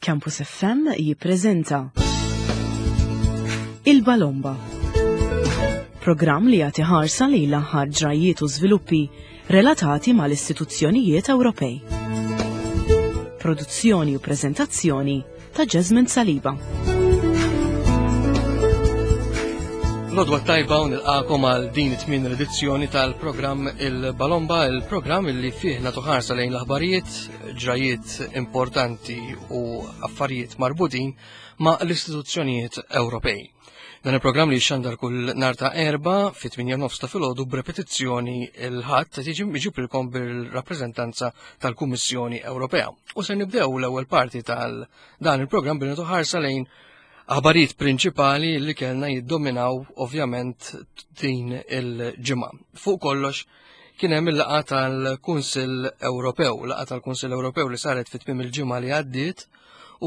Campus FM jippreżenta Il-Balomba. Programm li jagħti ħarsa lejn l-aħħar ġrajjiet u żviluppi relatati mal-istituzzjonijiet Ewropej. Produzzjoni u preżentazzjoni ta' Jasmine Saliba. Lodwa tajba u nilqakom għal din it-tmien edizzjoni tal-programm Il-Balomba, il-programm li fih nagħtu ħarsa lejn l-aħbarijiet, ġrajiet importanti u affarijiet marbutin ma' l-istituzzjonijiet Ewropej. Dan il-programm li xandar kull nar ta' erba fit 8 nofs ta' filgħodu b'repetizzjoni il-ħadd se jiġi miġibilkom bil-rappreżentanza tal-Kummissjoni Ewropea. U se nibdew l-ewwel parti tal dan il-programm billi ħarsa lejn aħbarijiet prinċipali li kellna jiddominaw ovvjament din il-ġimgħa. Fuq kollox kien hemm il-laqgħa tal-Kunsill Ewropew, laqgħa tal-Kunsill Ewropew li saret fit tmiem il-ġimgħa li għaddiet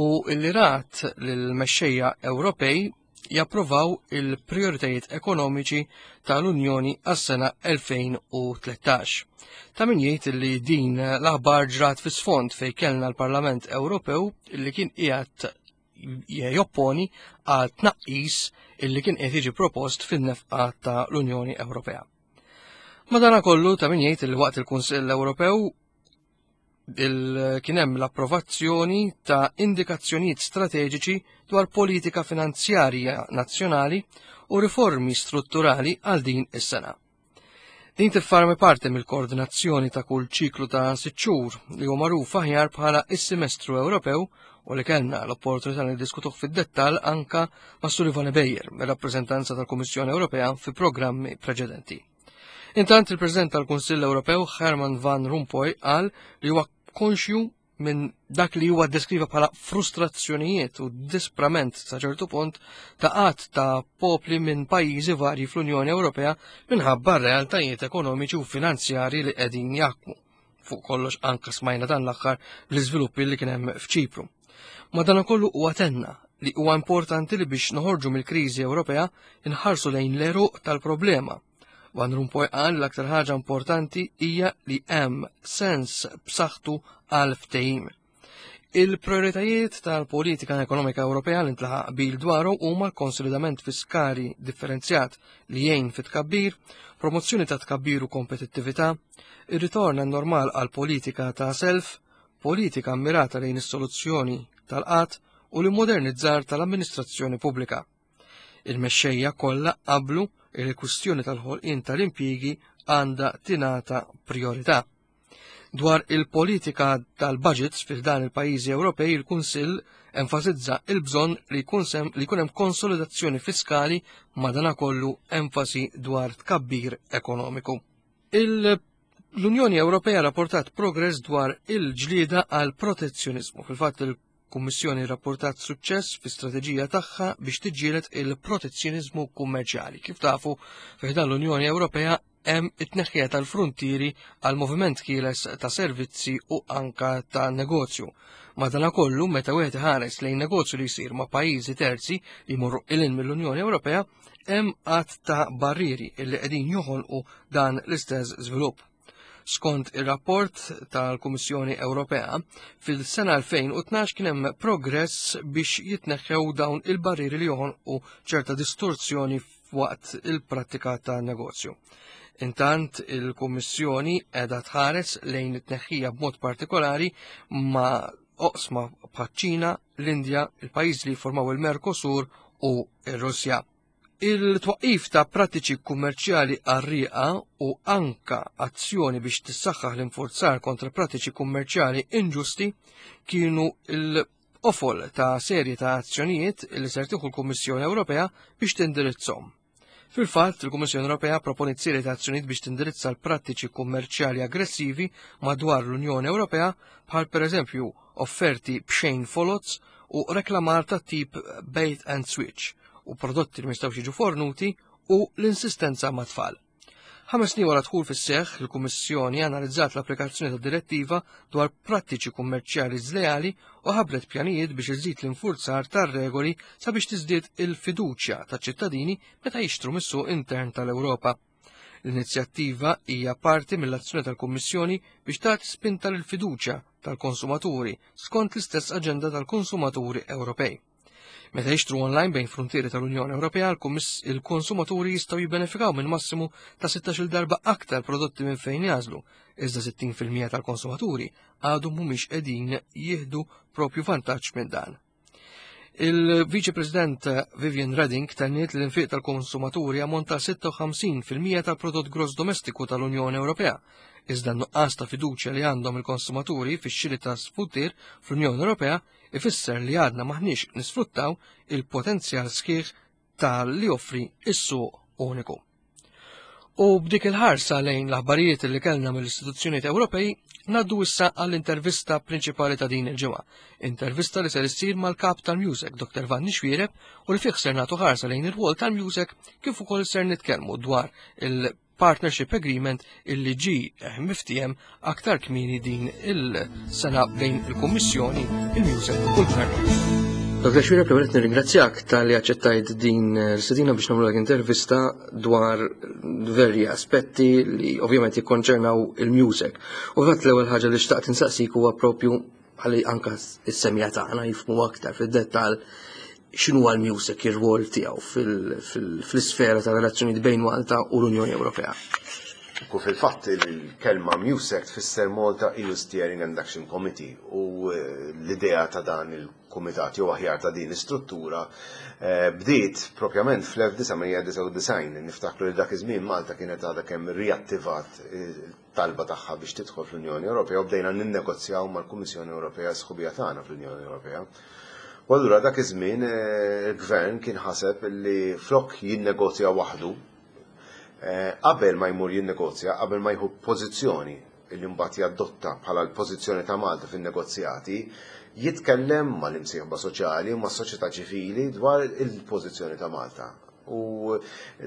u li rat lill-mexxejja Ewropej japprovaw il-prioritajiet ekonomiċi tal-Unjoni għas-sena 2013. Ta' min jgħid li din l-aħbar ġrat fi sfond fejn kellna l-Parlament Ewropew li kien qiegħed jopponi għal tnaqqis illi kien qed jiġi propost fin-nefqa ta' l-Unjoni Ewropea. Madanakollu ta' min jgħid li waqt il-Kunsill Ewropew kien hemm l-approvazzjoni ta' indikazzjonijiet strateġiċi dwar politika finanzjarja nazzjonali u riformi strutturali għal din is-sena. Din tiffarmi parti mill-koordinazzjoni ta' kull ċiklu ta' sitt xhur li huwa magħruf aħjar bħala is-Semestru Ewropew u li kellna l-opportunità li diskutuh fid-dettall anka ma' Sullivan Beyer, mir-rappreżentanza tal-Kummissjoni Ewropea fi programmi preċedenti. Intant il-President tal-Kunsill Ewropew Herman Van Rompuy qal li huwa konxju minn dak li huwa deskriva bħala frustrazzjonijiet u disprament sa ċertu punt ta' qatt ta' popli minn pajjiżi varji fl-Unjoni Ewropea minħabba realtajiet ekonomiċi u finanzjari li qegħdin jaħkmu. Fuq kollox anka smajna dan l-aħħar l-iżviluppi li kien hemm f'Ċipru. Madankollu huwa tenna li huwa importanti li biex noħorġu mill-kriżi Ewropea inħarsu lejn l-eruq tal-problema. Van Rompuy qal l-aktar ħaġa importanti hija li hemm sens b'saħħtu għal ftehim. Il-prioritajiet tal-politika ekonomika Ewropea li ntlaħaq qbil dwaru huma l-konsolidament fiskali differenzjat li jgħin fit tkabbir, promozzjoni ta' tkabbir u kompetittività, ir-ritorn normal għal politika ta' self, politika mmirata lejn is-soluzzjoni tal-qatt u l-immodernizzar tal-amministrazzjoni pubblika. Il-mexxejja kollha qablu li l-kwistjoni tal-ħolqien tal-impjiegi għandha tingħata priorità. Dwar il-politika tal-budgets fil dan il-pajjiżi Ewropej, il-Kunsill enfasizza il-bżonn li jkun hemm konsolidazzjoni fiskali madanakollu enfasi dwar tkabbir ekonomiku. L-Unjoni Ewropea rapportat progress dwar il-ġlieda għal protezzjonizmu. Fil-fatt il-Kummissjoni rapportat suċċess fi strateġija tagħha biex tiġġieled il-protezzjonizmu kummerċjali. Kif tafu, fi ħdan l-Unjoni Ewropea hemm it-tneħħija tal-fruntieri għal moviment ħieles ta' servizzi u anka ta' negozju. Madanakollu, meta wieħed iħares lejn negozju li jsir ma' pajjiżi terzi li jmorru ilin mill-Unjoni Ewropea, hemm għadd ta' barrieri li qegħdin joħolqu dan l-istess żvilupp. Skont ir-rapport tal-Kummissjoni Ewropea, fil-sena 2012 kien hemm progress biex jitneħħew dawn il-barrieri li joħolqu ċerta distorzjoni waqt il-prattika ta' negozju. Intant il-Kummissjoni qiegħda tħares lejn it-tneħħija b'mod partikolari ma' oqsma bħaċ-Ċina, l-Indja, il-pajjiż li jiffurmaw il-Mercosur u r-Russja. Il-twaqqif ta' prattiċi kummerċjali qarrieqa u anka azzjoni biex tissaħħaħ l-infurzar kontra prattiċi kummerċjali inġusti kienu l qofol ta' serje ta' azzjonijiet li ser tieħu l-Kummissjoni Ewropea biex tindirizzhom. Fil-fatt, il-Kummissjoni Ewropea proponiet serje ta' azzjonijiet biex tindirizza l-prattiċi kummerċjali aggressivi madwar l-Unjoni Ewropea bħal pereżempju offerti b'xejn foloz u reklamar ta' tip bait and switch u prodotti li ma jistgħux jiġu fornuti u l-insistenza ma' tfal. 5 snin wara dħul fis-seħħ, il-Kummissjoni analizzat l-applikazzjoni tad-direttiva dwar prattiċi kummerċjali żleali u ħabbret pjanijiet biex iżid l-infurzar tar-regoli sabiex tiżdied il-fiduċja taċ-ċittadini meta jixtru mis-suq intern tal-Ewropa. L-inizjattiva hija parti mill-azzjoni tal-Kummissjoni biex tagħti spinta lill-fiduċja tal-konsumaturi skont l-istess aġenda tal-konsumaturi Ewropej. Meta jixtru online bejn fruntieri tal-Unjoni Ewropea, il-konsumaturi jistgħu jibbenefikaw minn massimu ta' 16-il darba aktar prodotti minn fejn jagħżlu, iżda 60% tal-konsumaturi għadhom mhumiex qegħdin jieħdu propju vantaġġ minn dan. Il-Viċi President Vivian Redding tenniet li l-infiq tal-konsumaturi ammonta 56% tal-prodott gross domestiku tal-Unjoni Ewropea, iżda n-nuqqas ta' fiduċja li għandhom il-konsumaturi fix-xiri ta' sfuttir fl-Unjoni Ewropea ifisser li għadna maħniex nisfruttaw il-potenzjal sħiħ tal-li joffri is-suq uniku. U b'dik il-ħarsa lejn l-aħbarijiet li kellna mill-istituzzjonijiet Ewropej, naddu issa għall-intervista prinċipali ta' din il-ġimgħa. Intervista li ser issir mal-kap tal-Music, Dr. Vanni Xwiereb, u li fih ser nagħtu ħarsa lejn ir-rwol tal-Music kif ukoll ser nitkellmu dwar il Partnership Agreement illi ġi eh, miftiem aktar kmieni din il-sena bejn il-Kummissjoni, il-Music u l-Gvern. Dr. Xwira, prima nirringrazzjak tal-li aċċettajt din l-istedina biex nagħmlu intervista dwar verji aspetti li ovvjament jikkonċernaw il-music. U fatt l-ewwel ħaġa li xtaqt insaqsik huwa propju ħalli anka s-semja tagħna jifhmu aktar fid-dettall x'inhu l-music ir-rwol tiegħu fl-isfera ta' relazzjonijiet bejn Malta u l-Unjoni Ewropea. Ku fil-fatt il-kelma MUSEC tfisser Malta EU Steering and Action Committee u eh, l-idea ta' dan il-kumitat jew aħjar ta' din l-istruttura eh, bdiet propjament fl-1999. Niftakru li dak iż-żmien Malta kienet għadha kemm riattivat eh, talba tagħha biex tidħol fl-Unjoni Ewropea u bdejna ninnegozjaw mal-Kummissjoni Ewropea s-sħubija tagħna fl-Unjoni Ewropea. U allura dak iż-żmien eh, il-gvern kien ħaseb li flok jinnegozja waħdu, eh, qabel ma jmur jinnegozja, qabel ma jieħu pożizzjoni li mbagħad jadotta bħala l-pożizzjoni ta' Malta fin-negozjati, jitkellem mal-imsieħba soċjali u mas-soċjetà ċivili dwar il-pożizzjoni ta' Malta. U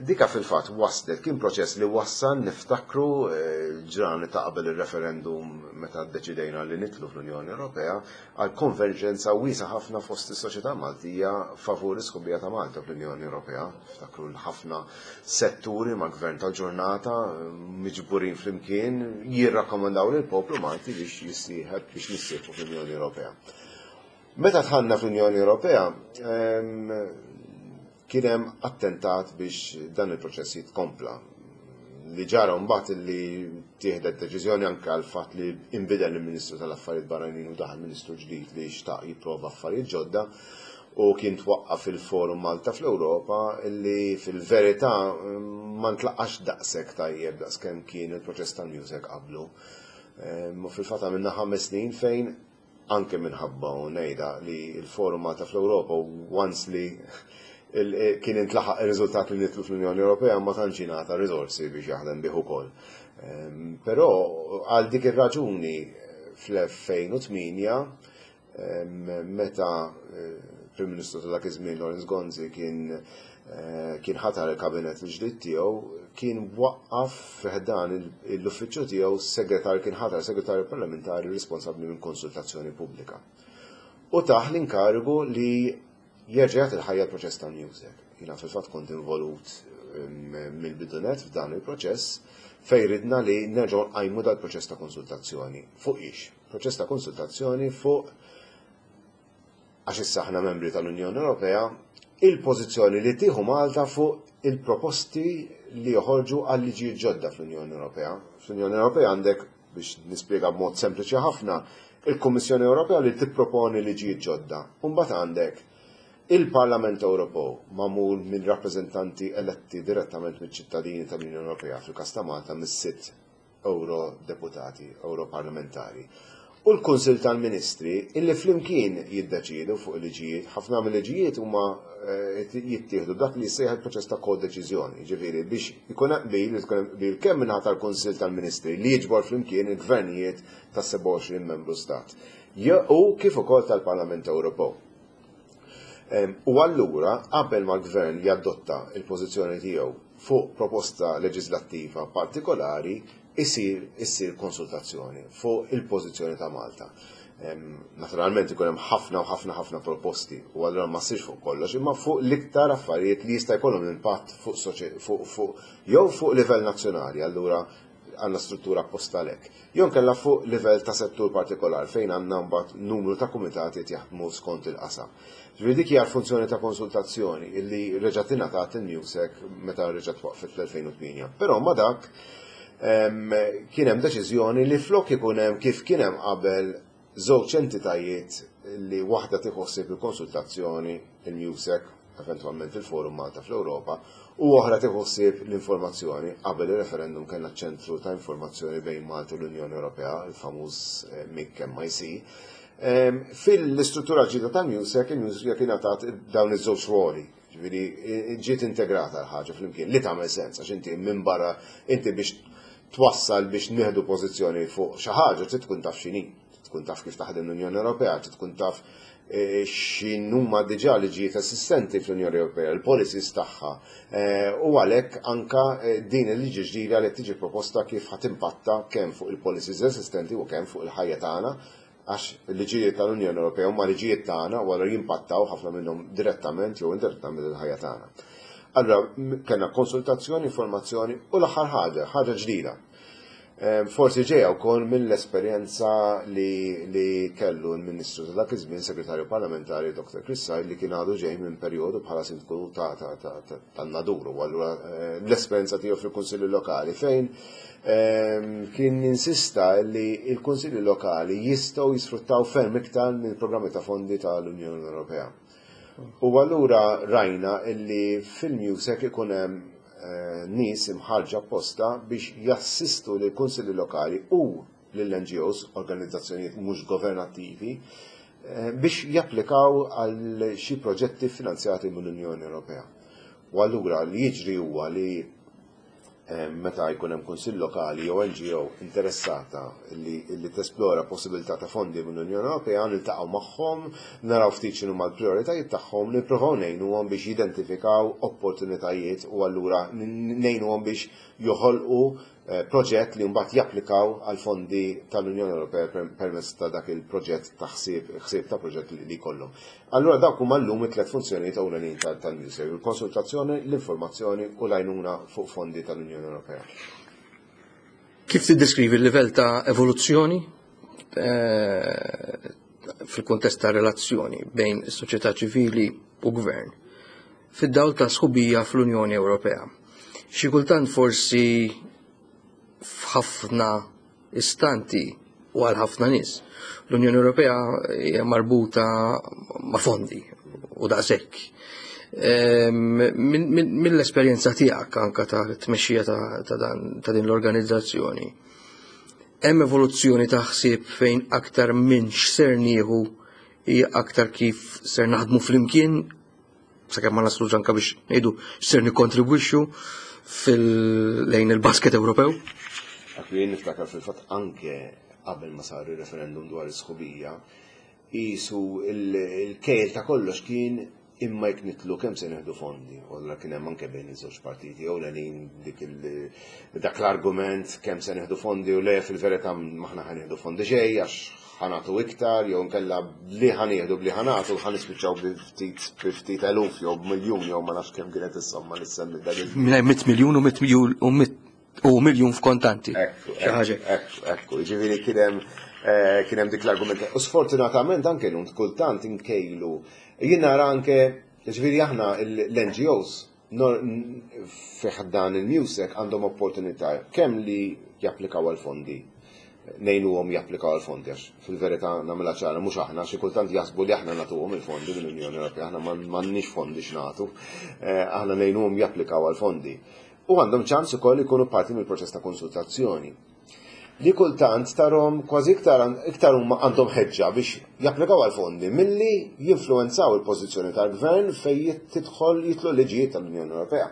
dika fil-fatt waslet, kien proċess li wassal niftakru eh, l-ġranet ta' qabel il-referendum meta ddeċidejna li nitlu fl-Unjoni Ewropea għal konverġenza wiesa ħafna fost is-soċjetà Maltija favur is-sħubija ta' Malta fl-Unjoni Ewropea. Niftakru l-ħafna setturi ma' gvern tal-ġurnata miġburin flimkien jirrakkomandaw lill-poplu Malti biex jissieħeb biex nissieħbu fl-Unjoni Ewropea. Meta dħalna fl-Unjoni Ewropea, kien hemm attentat biex dan il-proċess jitkompla. Li ġara mbagħad li tieħdet deċiżjoni anke għal fatt li inbidel il-Ministru tal-Affarijiet Barranin u daħal Ministru ġdid li xtaq jipprova affarijiet ġodda u kien twaqqaf il-Forum Malta fl-Ewropa li fil-verità ma ntlaqax daqshekk tajjeb daqskemm kien il-proċess tal-music qablu. U fil-fatt għamilna 5 snin fejn anke minħabba u ngħidha li l-Forum Malta fl-Ewropa once li kien intlaħaq ir-riżultat li nidħlu fl-Unjoni Ewropea ma tantx jingħata riżorsi biex jaħdem bih ukoll. Ehm, però għal dik ir-raġuni fl-2008 ehm, meta eh, Prim Ministru ta' dak iż-żmien Lawrence Gonzi kien eh, kien ħatar il-kabinet il-ġdid tiegħu kien waqqaf fi ħdan l-uffiċċju tiegħu segretar kien ħatar segretarju parlamentari responsabbli minn konsultazzjoni pubblika. U tah l-inkarigu li jerġa' jagħti l-ħajja l-proċess tal-music. Jiena fil-fatt kont involut mm, mill-bidunet f'dan il-proċess fejn ridna li nerġgħu nqajmu dal-proċess ta' konsultazzjoni. Fuq ix? Proċess ta' konsultazzjoni fuq għax issa aħna membri tal-Unjoni Ewropea, il-pożizzjoni li tieħu Malta fuq il-proposti li joħorġu għal liġijiet ġodda fl-Unjoni Ewropea. Fl-Unjoni Ewropea għandek, biex nispjega b'mod sempliċi ħafna, il-Kummissjoni Ewropea li tipproponi liġijiet ġodda. U mbagħad għandek il-Parlament Ewropew magħmul minn rappreżentanti eletti direttament miċ-ċittadini tal-Unjoni Ewropea fil-każ ta' Malta mis-sitt Ewrodeputati, Ewroparlamentari, u l-Kunsill tal-Ministri illi flimkien jiddeċiedu fuq il-liġijiet. Ħafna mill-liġijiet huma eh, jittieħdu dak li jissejjaħ il-proċess ta' kodeċiżjoni, jiġifieri biex ikun hemm qbil, ikun hemm qbil kemm minħata tal-Kunsill tal-Ministri li jiġbor flimkien il-gvernijiet ta' 27 membru stat. U kif ukoll tal-Parlament Ewropew. U allura qabel ma l-gvern jadotta il-pożizzjoni tiegħu fuq proposta leġislattiva partikolari isir issir konsultazzjoni fuq il-pożizzjoni ta' Malta. Naturalment ikun hemm ħafna u ħafna ħafna proposti u allura ma ssirx fuq kollox, imma fuq l-iktar affarijiet li jista' jkollhom impatt fuq fuq jew fuq livell nazzjonali, allura għandna struttura apposta għalhekk. Jew inkella fuq livell ta' settur partikolar fejn għandna mbagħad numru ta' kumitati qed jaħdmu skont il-qasam. Ġifieri dik hija l-funzjoni ta' konsultazzjoni illi reġgħet ingħatat il-MUSEC meta reġgħet twaqqfet fl-2008. Però ma' dak kien hemm deċiżjoni li flok ikun hemm kif kien hemm qabel żewġ entitajiet li waħda tieħu ħsieb il-konsultazzjoni, il-MUSEC, eventwalment il-Forum Malta fl-Ewropa, u oħra tieħu ħsieb l-informazzjoni. Qabel ir-referendum kellna ċentru ta' informazzjoni bejn Malta u l-Unjoni Ewropea, il-famuż MIC MIC. Fil-istruttura ġdida tal-MUSEC, il-MUSEC ingħatat dawn iż-żewġ ruoli. Ġifieri ġiet integrata l-ħaġa flimkien li tagħmel sens għax inti minn barra inti biex twassal biex nieħdu pożizzjoni fuq xi ħaġa trid tkun taf x'inhi, trid tkun taf kif taħdem l-Unjoni Ewropea, trid tkun taf x'inhuma diġà liġijiet esistenti fl-Unjoni Ewropea, il-policies tagħha. U għalhekk anka din il-liġi ġdida li tiġi proposta kif ħa timpatta kemm fuq il-policies esistenti u kemm fuq il-ħajja tagħna għax il-liġijiet tal-Unjoni Ewropea huma liġijiet tagħna u allura jimpattaw ħafna minnhom direttament jew indirettament il-ħajja tagħna. Allura kellna konsultazzjoni, informazzjoni u l-aħħar ħaġa, ħaġa ġdida. Forsi ġejja wkoll mill-esperjenza li, li kellu l-Ministru ta' dak iż-żmien, Segretarju Parlamentari Dr. Chris Said li kien għadu ġej minn perjodu bħala sindku tan-Nadur u allura l-esperjenza tiegħu fil-Kunsilli Lokali fejn kien insista li l-Kunsilli Lokali jistgħu jisfruttaw ferm iktar mill-programmi ta' fondi tal-Unjoni Ewropea. U allura rajna illi fil-MUSEC ikun hemm nies imħarrġa apposta biex jassistu lill-Kunsilli Lokali u lill-NGOs, organizzazzjonijiet mhux governattivi, biex japplikaw għal xi proġetti finanzjati mill-Unjoni Ewropea. U allura li jiġri huwa li meta jkun hemm kunsill lokali jew NGO interessata li, li tesplora possibilità ta' fondi mill-Unjoni Ewropea, niltaqgħu magħhom, naraw ftit x'inhuma l-prijoritajiet tagħhom, nippruvaw ngħinuhom biex jidentifikaw opportunitajiet u allura ngħinuhom biex joħolqu proġett li mbagħad japplikaw għal fondi tal-Unjoni Ewropea permezz ta' dak il-proġett ta' ħsieb, ħsieb ta' proġett li jkollhom. Allura dawk huma llum it-tliet funzjonijiet ewlenin tal-MUSEC, il-konsultazzjoni, l-informazzjoni u l-għajnuna fuq fondi tal-Unjoni Ewropea. Kif tiddeskrivi l-livell ta' evoluzzjoni fil-kuntest ta' relazzjoni bejn is-soċjetà ċivili u gvern fid-dawl ta' sħubija fl-Unjoni Ewropea? Xi kultant forsi f'ħafna istanti u għal ħafna nies l-Unjoni Ewropea hija marbuta ma' fondi u daqshekk. Mill-esperjenza tiegħek anka ta' tmexxija ta' din l-organizzazzjoni, hemm evoluzzjoni ta' ħsieb fejn aktar minn x'ser nieħu hija aktar kif ser naħdmu flimkien sakemm ma naslux anka biex ngħidu x'ser nikkontribwixxu fil-lejn il-basket Ewropew? Dak li jien niftakar fil-fatt anke qabel ma sar ir-referendum dwar is-sħubija, qisu il-kejl ta' kollox kien imma jekk nitlu kemm se nieħdu fondi. U allura kien hemm anke bejn iż-żewġ partiti ewlenin dik dak l-argument kemm se nieħdu fondi u le fil-verità m'aħna ħa nieħdu fondi xejn għax ħa nagħtu iktar jew inkella bli ħa nieħdu bli ħa nagħtu ħa nispiċċaw bi ftit bi ftit eluf jew b'miljun jew ma nafx kemm kienet is-somma li semmi dak iż-żmien. Mingħajr 100 miljun u 100 miljun u 100 u miljun f'kontanti. Ekku, Xi ħaġa. ekku, ekku, jiġifieri kien hemm kien hemm dik l-argument. U sfortunatament anke llum kultant inkejlu. Jien nara anke, jiġifieri aħna l-NGOs fi ħdan il-MUSEC għandhom opportunità kemm li japplikaw għal fondi, ngħinuhom japplikaw għal fondi għax fil-verità nagħmilha ċara mhux aħna xi kultant jaħsbu li aħna nagħtuhom il-fondi mill-Unjoni Ewropea, aħna m'għandniex fondi x'nagħtu, aħna ngħinuhom japplikaw għal fondi. U għandhom ċans ukoll ikunu parti mill-proċess ta' konsultazzjoni. Li kultant tarhom kważi iktar iktar huma għandhom ħeġġa biex japplikaw għal fondi milli jinfluwenzaw il-pożizzjoni tal-gvern fejn tidħol jidħlu liġijiet tal-Unjoni Ewropea.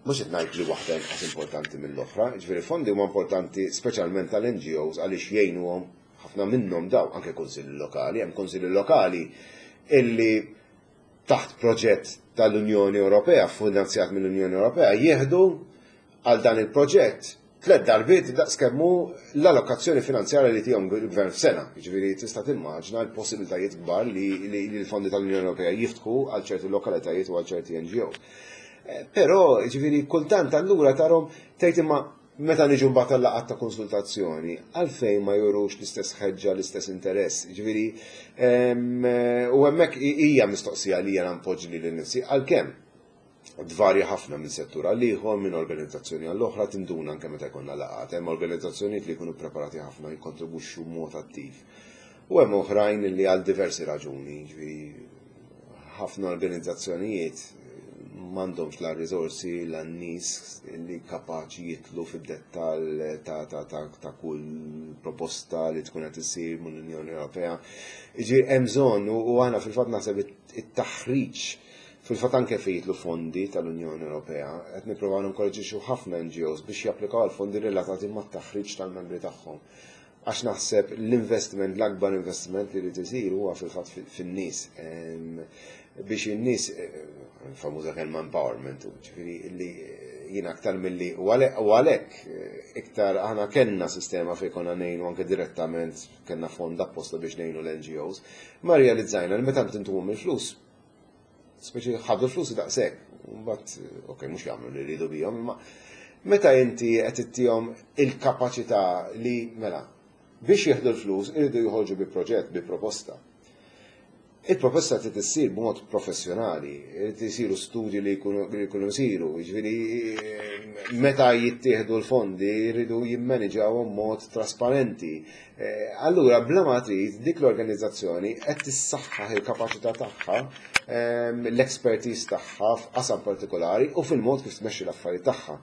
Mhux qed ngħid li waħda inqas importanti mill-oħra, jiġifieri fondi huma importanti speċjalment tal-NGOs għaliex jgħinuhom ħafna minnhom daw anke kunsilli lokali, hemm kunsilli lokali illi taħt proġett tal-Unjoni Ewropea, finanzjat mill-Unjoni Ewropea, jieħdu għal dan il-proġett tliet darbiet daqs kemm hu l-allokazzjoni finanzjarja li tihom il-gvern f'sena. Jiġifieri tista' timmaġna l-possibilitajiet kbar li l-fondi tal-Unjoni Ewropea jiftħu għal ċerti lokalitajiet u għal ċerti NGOs. Però, jiġifieri kultant allura tarhom tgħid imma Meta niġu mbagħad għal-laqgħat ta' konsultazzjoni, għalfejn ma jurux l-istess ħeġġa, l-istess interess? Ġifieri, u hemmhekk hija mistoqsija li jiena npoġġi lili nnifsi, għalkemm tvarja ħafna minn settur għal ieħor, minn organizzazzjoni għall oħra, tinduna anke meta jkollna laqgħat. Hemm organizzazzjonijiet li jkunu preparati ħafna jikkontribwixxu b'mod attiv. U hemm oħrajn li għal diversi raġuni, ġifieri ħafna organizzazzjonijiet m'għandhomx la riżorsi la nies li kapaċi jitlu fid-dettall ta', ta, ta, ta' kull proposta li tkun qed issir mill-Unjoni Ewropea. Jiġifieri hemm bżonn u aħna fil-fatt naħseb it-taħriġ fil-fatt anke fejn jitlu fondi tal-Unjoni Ewropea, qed nippruvaw ninkoraġġixxu ħafna NGOs biex japplikaw għal fondi relatati mat-taħriġ tal-membri tagħhom. Għax naħseb l-investiment, l-akbar investiment li jrid isir huwa fil-fatt fin-nies. Biex in-nies, famuża kelma empowerment, ġifieri li jiena aktar milli u għalhekk iktar aħna kellna sistema fejn konna ngħinu anke direttament kellna fond apposta biex ngħinu l-NGOs, ma realizzajna li meta intuhom il-flus speċi ħadu l-flus daqshekk, mbagħad ok, mhux jagħmlu li jridu bihom, imma meta inti qed ittihom il-kapaċità li mela biex jieħdu l-flus iridu joħorġu bi proġett, bi proposta. Il-proposta trid issir b'mod professjonali, irid isiru studji li jkunu jsiru, jiġifieri meta jittieħdu l-fondi jridu jimmaniġawhom mod trasparenti. Eh, allura, bla ma trid, dik l-organizzazzjoni qed tissaħħaħ il-kapaċità tagħha, ehm, l-expertise tagħha f'qasam partikolari u fil-mod kif tmexxi l-affarijiet tagħha.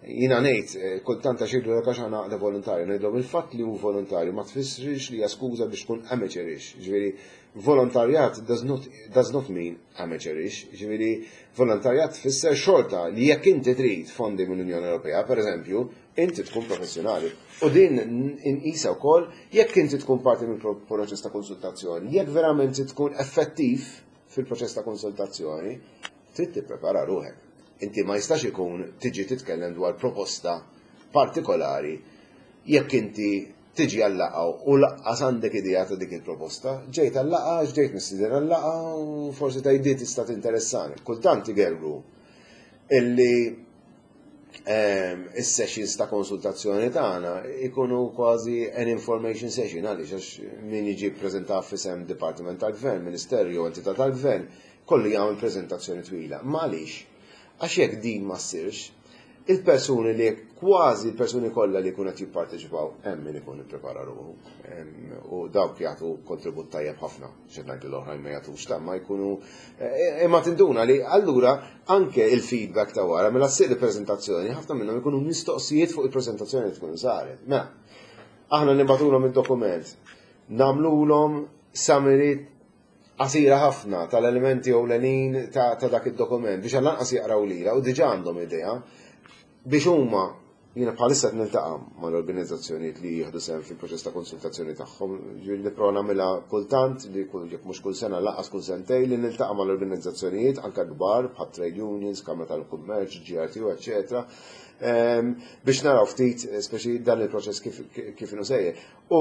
Jiena ngħid, eh, kultant għax jgħidu għax aħna għaqda volontarju, ngħidlhom il-fatt li hu volontarju ma tfissirx li hija skuża biex tkun amateurish. Ġifieri, volontarjat does not, does not mean amateurish. Ġifieri, volontarjat tfisser xorta li jekk inti trid fondi mill-Unjoni Ewropea, per eżempju, inti tkun professjonali. U din inqisha wkoll jekk inti tkun parti mill proċess ta' konsultazzjoni, jekk verament tkun effettiv fil-proċess ta' konsultazzjoni, trid tipprepara ruħek. Inti ma jistax ikun tiġi titkellem dwar proposta partikolari jekk inti tiġi għal-laqgħa u lanqas għandek idea ta' dik il-proposta. Ġejt għal-laqgħa, ġejt mistieden għal-laqgħa u forsi tgħid tista' tinteressani. Kultant igerru illi is-sessions ta' konsultazzjoni tagħna ikunu kważi an information session għaliex għax min jiġi ppreżenta f'isem Dipartiment tal-Gvern, Ministerju jew entità tal-Gvern, kollu jagħmel preżentazzjoni twila. Ma għaliex? Għax jekk din ma ssirx, il-persuni li kważi l-persuni kollha li jkunu qed jipparteċipaw hemm min ikun ipprepara ruħu u dawk jagħtu kontribut tajjeb ħafna. Xed ngħid l-oħrajn ma jagħtux ta' ma jkunu eh, imma tinduna li allura anke il-feedback ta' wara mela ssir il-preżentazzjoni ħafna minnhom ikunu mistoqsijiet fuq il-preżentazzjoni li tkun saret. Mela, aħna nibgħatulhom id-dokument, nagħmlulhom summary qasira ħafna tal-elementi ewlenin ta' dak id-dokument biex għall-anqas jaqraw lila u diġà għandhom idea biex huma Jiena bħalissa qed niltaqa' mal-organizzazzjonijiet li jieħdu sehem fil-proċess ta' konsultazzjoni tagħhom. Ġifieri nipprova nagħmilha kultant li kull jekk mhux kull sena lanqas kull sentejn li niltaqa' mal-organizzazzjonijiet anke kbar bħat trade unions, Kamra tal-Kummerċ, GRTU, eċċetera, ehm, biex naraw ftit speċi dan il-proċess kif kif inhu sejjer. U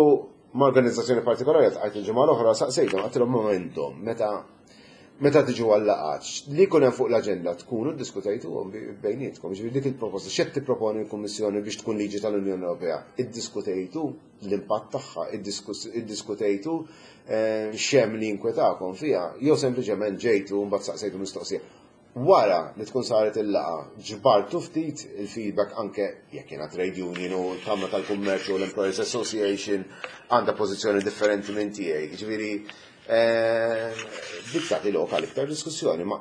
ma' organizzazzjoni partikolari għajt il-ġimgħa l-oħra saqsejthom għedtilhom momentum meta Meta tiġu għal-laqgħat, li jkun hemm fuq l-aġenda tkunu ddiskutejtuhom bejnietkom, jiġifieri dik il-proposta x'qed tipproponi l-Kummissjoni biex tkun liġi tal-Unjoni Ewropea, iddiskutejtu l-impatt tagħha, iddiskutejtu eh, x'hemm li jinkwetakom fiha, jew sempliċement ġejtu u mbagħad saqsejtu mistoqsija. Wara li tkun saret il-laqgħa, ġbartu ftit il-feedback anke jekk jiena trade union u l-Kamra tal-Kummerċ u l-Employers Association għandha pożizzjoni differenti minn tiegħi. Jiġifieri eh, dik tagħti lok għal iktar diskussjoni, ma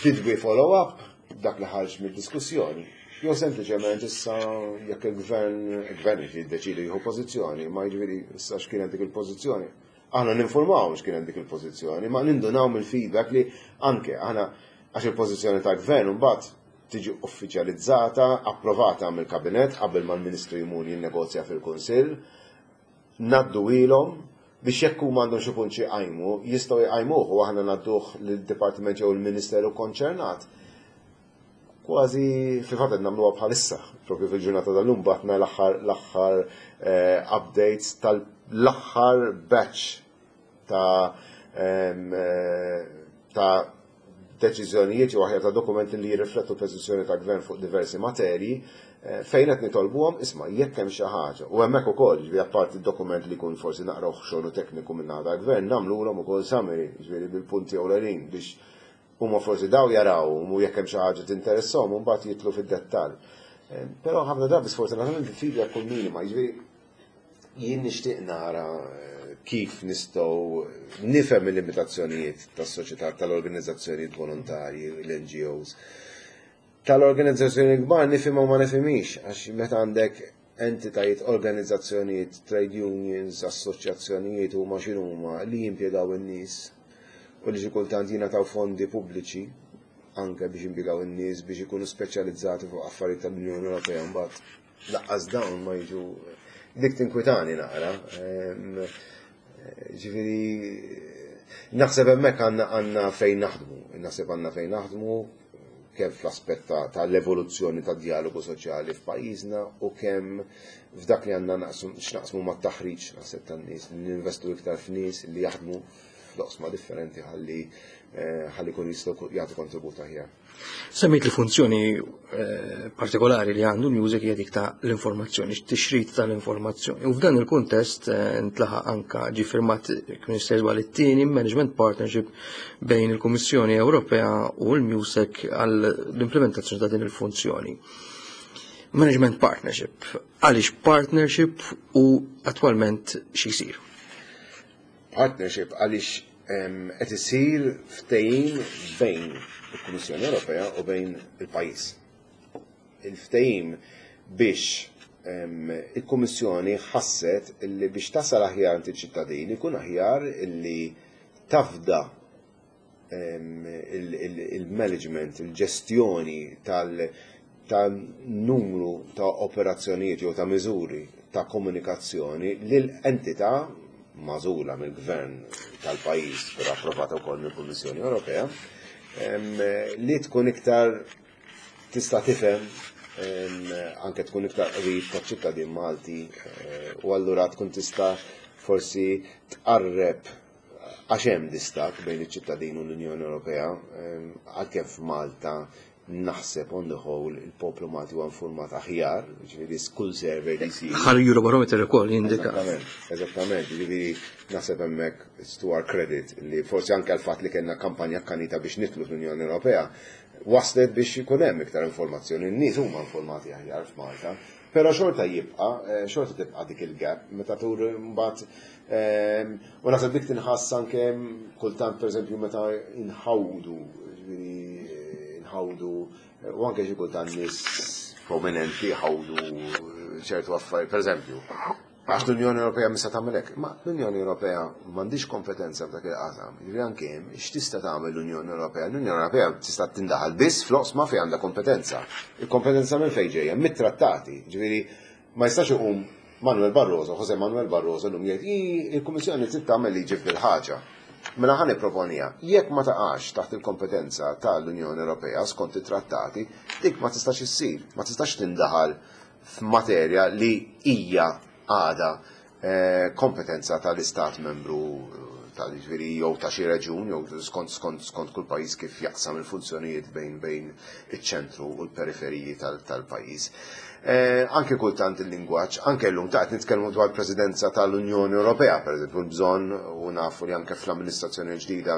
did we follow up dak li ħarġ mid-diskussjoni? Jew sempliċement issa jekk il-gvern, il-gvern jiddeċidi jieħu pożizzjoni, ma jiġifieri issa x'kienet dik il-pożizzjoni. Aħna ninformaw x'kien hemm dik il-pożizzjoni, ma nindunaw mill-feedback li anke aħna għax il-pożizzjoni tal-gvern imbagħad tiġi uffiċjalizzata, approvata mill-kabinett qabel ma l-Ministru jmur jinnegozja fil-Kunsill, ngħaddu ilhom biex jekk huma għandhom xi punt xi jqajmu, jistgħu jqajmuh u aħna ngħadduh lid-dipartiment jew il-ministeru konċernat. Kważi fil-fatt qed nagħmluha bħalissa, propju fil-ġurnata tal-lum batna l-aħħar l-aħħar eh, updates tal-aħħar batch ta' eh, ta' deċiżjonijiet jew aħjar ta' dokumenti li jirriflettu l-pożizzjoni tal-Gvern fuq diversi materji fejn qed nitolbuhom isma' jekk hemm xi ħaġa. U hemmhekk ukoll, jiġifieri apparti d-dokument li jkun forsi naqra oħxon u tekniku min-naħa tal-Gvern, nagħmlulhom ukoll summary, jiġifieri bil-punti ewlenin biex huma forsi daw jaraw u jekk hemm xi ħaġa tinteressahom u mbagħad jidħlu fid-dettall. Però ħafna drabi sfortunatament il-feedback kun minima, jiġifieri jien nixtieq nara kif nistgħu nifhem il-limitazzjonijiet tas-soċjetà tal-organizzazzjonijiet volontarji, l-NGOs. Tal-organizzazzjoni kbar nifhimha u ma nifhimix għax meta għandek entitajiet, organizzazzjonijiet, trade unions, assoċjazzjonijiet huma x'inhuma li jimpjegaw in-nies u li xi kultant jingħataw fondi pubbliċi anke biex jimpjegaw in-nies biex ikunu speċjalizzati fuq affarijiet tal-Unjoni Ewropea mbagħad laqqas dawn ma jiġu dik tinkwitani naqra. Ġifieri naħseb hemmhekk għandna fejn naħdmu, naħseb għandna fejn naħdmu kemm fl-aspett tal-evoluzzjoni tad-djalogu soċjali f'pajjiżna u kemm f'dak li għandna x'naqsmu mat-taħriġ naħseb tan-nies, li ninvestu iktar f'nies li jaħdmu f'loqsma differenti ħalli ħalli jkunu jistgħu jagħtu kontribut aħjar. Semmejt li funzjoni partikolari li għandu l-MUSEC hija dik ta' l-informazzjoni, tixrid tal-informazzjoni. U f'dan il-kuntest ntlaħaq anka ġie firmat kien jista' it-tieni management partnership bejn il-Kummissjoni Ewropea u l-MUSEC għal l-implementazzjoni ta' din il-funzjoni. Management partnership, għaliex partnership u attwalment xi jsir? Partnership għaliex qed isir ftehim bejn il-Kummissjoni Ewropea u bejn il-pajjiż. Il-ftehim biex il-Kummissjoni ħasset li biex tasal aħjar għand iċ-ċittadini ikun aħjar illi tafda il-management, il-ġestjoni tal-numru ta' operazzjonijiet jew ta' miżuri ta' komunikazzjoni lil entità magħżula mill-gvern tal-pajjiż, però approvata wkoll mill-Kummissjoni Ewropea, li tkun iktar tista' tifhem anke tkun iktar qrib taċ-ċittadin Malti u allura tkun tista' forsi tqarreb għax hemm distakk bejn iċ-ċittadin u l-Unjoni Ewropea, għalkemm f'Malta naħseb on the whole il-poplu Malti huwa informat aħjar, ġifieri kull survey li jsir. Ħar Eurobarometer ukoll jindika. Eżattament, eżattament, ġifieri naħseb hemmhekk it's to our credit li forsi anke l-fatt li kellna kampanja akkanita biex nidħlu fl-Unjoni Ewropea waslet biex ikun hemm iktar informazzjoni, n-nies huma informati aħjar f'Malta. Però xorta jibqa', xorta tibqa' dik il-gap meta tur mbagħad u naħseb dik tinħass anke kultant pereżempju meta inħawdu, ġifieri nħawdu u anke xi kultant nies prominenti ħawdu ċertu affarijiet, pereżempju, għax l-Unjoni Ewropea mista tagħmel hekk, ma l-Unjoni Ewropea m'għandix kompetenza f'dak il-qasam. Ġifieri anke hemm x'tista' tagħmel l-Unjoni Ewropea? L-Unjoni Ewropea tista' tindaħal biss fl-oqsma fejn għandha kompetenza. Il-kompetenza minn fejn ġejja? Mit-trattati. Ġifieri ma jistax iqum Manuel Barroso, Jose Manuel Barroso llum jgħid il-Kummissjoni trid tagħmel liġi f'dil ħaġa. Mela ħa nipproponija, jekk ma taqax taħt il-kompetenza tal-Unjoni Ewropea skont it-trattati, dik ma tistax issir, ma tistax tindaħal f'materja li hija għada kompetenza tal-istat membru tal-ġifieri jew ta' xi reġun jew skont skont skont kull pajjiż kif jaqsam il-funzjonijiet bejn iċ-ċentru u l-periferiji tal-pajjiż. Anke kultant il-lingwaġġ, anke llum ta' qed nitkellmu dwar presidenza tal-Unjoni Ewropea, pereżempju l-bżonn u nafu li anke fl-amministrazzjoni ġdida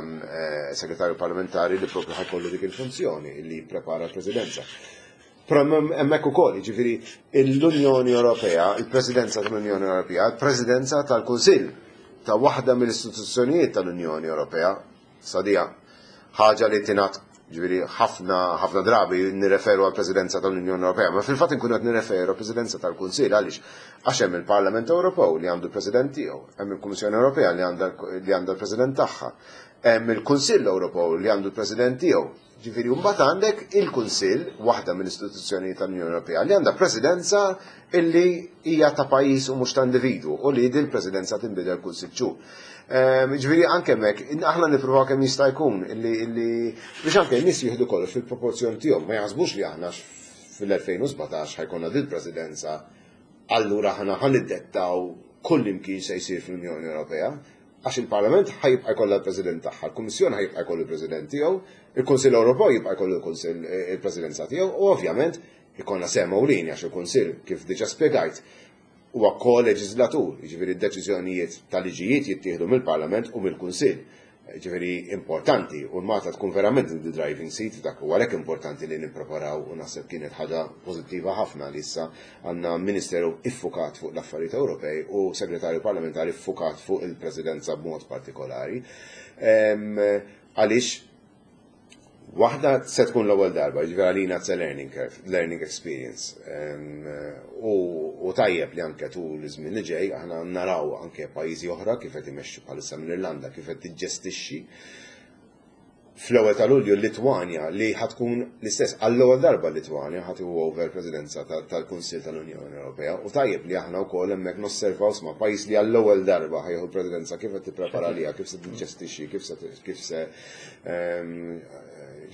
segretarju parlamentari li propju ħa jkollu dik il-funzjoni li jipprepara l-presidenza. Però hemmhekk ukoll, jiġifieri l-Unjoni Ewropea, il-Presidenza tal-Unjoni Ewropea, il-Presidenza tal-Kunsill ta' waħda mill-istituzzjonijiet tal-Unjoni Ewropea, sadija ħaġa li tingħad ġifieri ħafna ħafna drabi nirreferu għall-Presidenza tal-Unjoni Ewropea, ma fil-fatt inkunu qed nirreferu għall-Presidenza tal-Kunsill għaliex għax hemm il-Parlament Ewropew li għandu l-President tiegħu, hemm il-Kummissjoni Ewropea li għandha l-President tagħha, hemm il-Kunsill Ewropew li għandu l-President tiegħu. Ġifieri mbagħad għandek il-Kunsill, waħda mill-istituzzjonijiet tal-Unjoni Ewropea, li għandha presidenza illi hija ta' pajjiż u mhux ta' individwu u li din presidenza tinbidel kull 6 xhur. Ġifieri anke hemmhekk aħna nippruvaw kemm jista' jkun illi biex anke n-nies jieħdu kollox fil-proporzjon tiegħu, ma jaħsbux li aħna fil-2017 ħa jkollna din presidenza allura aħna ħa niddettaw kull imkien se jsir fl-Unjoni Ewropea. Għax il-Parlament ħa jibqa' jkollha l-President tagħha, il-Kummissjoni ħa jibqa' jkollu l-President tiegħu, il-Kunsill Ewropew jibqa' jkollu l-Kunsill il-Presidenza tiegħu u ovvjament ikollna sehem ewlieni għax il-Kunsill kif diġà spjegajt huwa ko-leġislatur, jiġifieri d-deċiżjonijiet ta' liġijiet jittieħdu mill-Parlament u mill-Kunsill. Ġifieri importanti u l-Malta tkun verament in the driving seat dak u għalhekk importanti li nippreparaw u naħseb kienet ħaġa pożittiva ħafna li issa għandna Ministeru iffukat fuq l-affarijiet Ewropej u Segretarju Parlamentari ffukat fuq il-Presidenza b'mod partikolari. Għaliex Waħda se tkun l-ewwel darba, jiġifieri għalina it's a learning curve, learning experience. U tajjeb li anke tul iż-żmien li ġej aħna naraw anke pajjiżi oħra kif qed imexxu bħalissa mill-Irlanda kif qed tiġġestixxi. Fl-ewwel ta' Lulju l-Litwanja li ħa tkun l-istess għall-ewwel darba l-Litwanja ħa tieħu over presidenza tal-Kunsill tal-Unjoni Ewropea u tajjeb li aħna wkoll hemmhekk nosservaw sma pajjiż li għall-ewwel darba ħa jieħu l-presidenza kif qed tipprepara għaliha, kif se tiġġestixxi, kif se kif se ehm,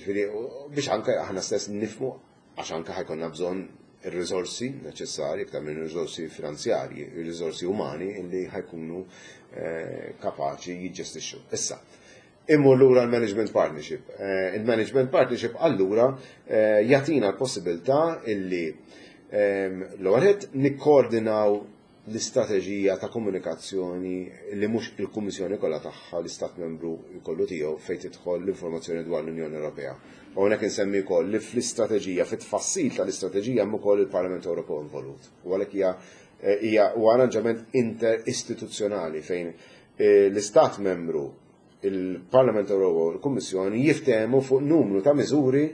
ġifieri biex anke aħna stess nifmu għax anke ħa jkollna bżonn ir-riżorsi neċessarji, iktar minn riżorsi finanzjarji, ir-riżorsi umani li ħa jkunu eh, kapaċi jiġġestixxu. Issa, immur lura l-management partnership. Eh, il-management partnership allura eh, jagħtina l-possibilità illi ehm, l-ewwel nikkoordinaw l-istrateġija ta' komunikazzjoni li mhux il-Kummissjoni kollha tagħha l-Istat Membru jkollu tiegħu fejn tidħol l-informazzjoni dwar l-Unjoni Ewropea. U hawnhekk insemmi wkoll li fl-istrateġija, fit-tfassil tal-istrateġija hemm ukoll il-Parlament Ewropew involut. U għalhekk hija hija huwa arranġament interistituzzjonali fejn eh, l-Istat Membru il-Parlament Ewropew u l-Kummissjoni jiftehmu fuq numru ta' miżuri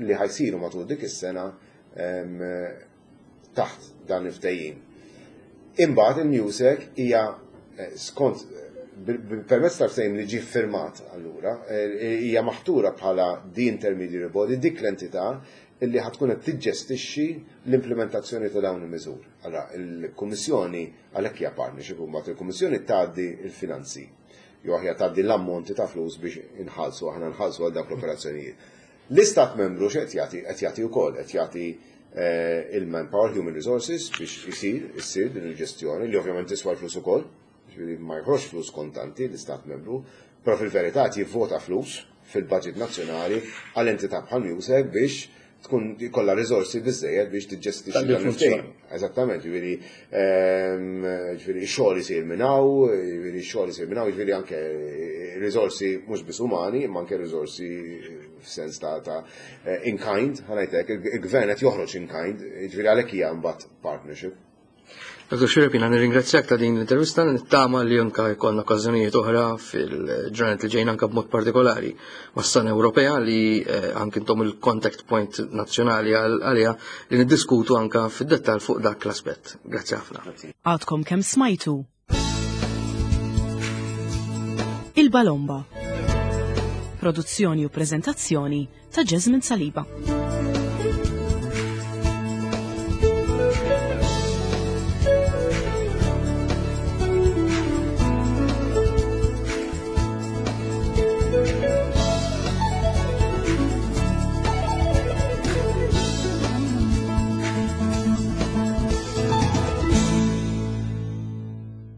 li ħa jsiru matul dik is-sena taħt dan il-ftehim. Imbagħad il-MEUSAC hija eh, skont permezz tal-ftehim li ġie firmat allura eh, hija maħtura bħala the intermediary body dik l-entità illi ħa tkun qed tiġġestixxi l-implementazzjoni ta' dawn il-miżuri. Allora, il-Kummissjoni għalhekk hija partnership u mbagħad il-Kummissjoni tgħaddi l-finanzi. Jew aħjar tgħaddi l-ammonti ta' flus biex inħallsu aħna nħallsu għal dawk l-operazzjonijiet. L-Istat Membru x'qed jagħti? Qed jagħti wkoll, qed jagħti eh, il-manpower, human resources biex isir, issir din il-ġestjoni li ovvjament tiswa l-flus ukoll, ġifieri ma jħroġ flus kontanti l-Istat Membru, però fil-verità qed jivvota flus fil-budget nazzjonali għal entità bħal MEUSAC biex tkun jkollha riżorsi biżejjed biex tiġġestixxi dan il-ftehim. Eżattament, ġifieri ehm, ġifieri xogħol isir minn hawn, ġifieri xogħol isir minn hawn, ġifieri anke riżorsi mhux biss umani, imma anke riżorsi f'sens ta' ta' in kind, ħa ngħidlek, il-gvern qed joħroġ in kind, ġifieri għalhekk hija mbagħad partnership. Dr. Xuereb, jiena nirringrazzjak ta' din l-intervista, nittama li anka jkollna okkażjonijiet oħra fil-ġranet li ġejjin anka b'mod partikolari mas-sena Ewropea li eh, anke intom il-contact point nazzjonali għaliha li niddiskutu anka fid-dettall fuq dak l-aspett. Grazzi ħafna. Għadkom kemm smajtu Il-Balomba. Produzzjoni u preżentazzjoni ta' Jasmine Saliba.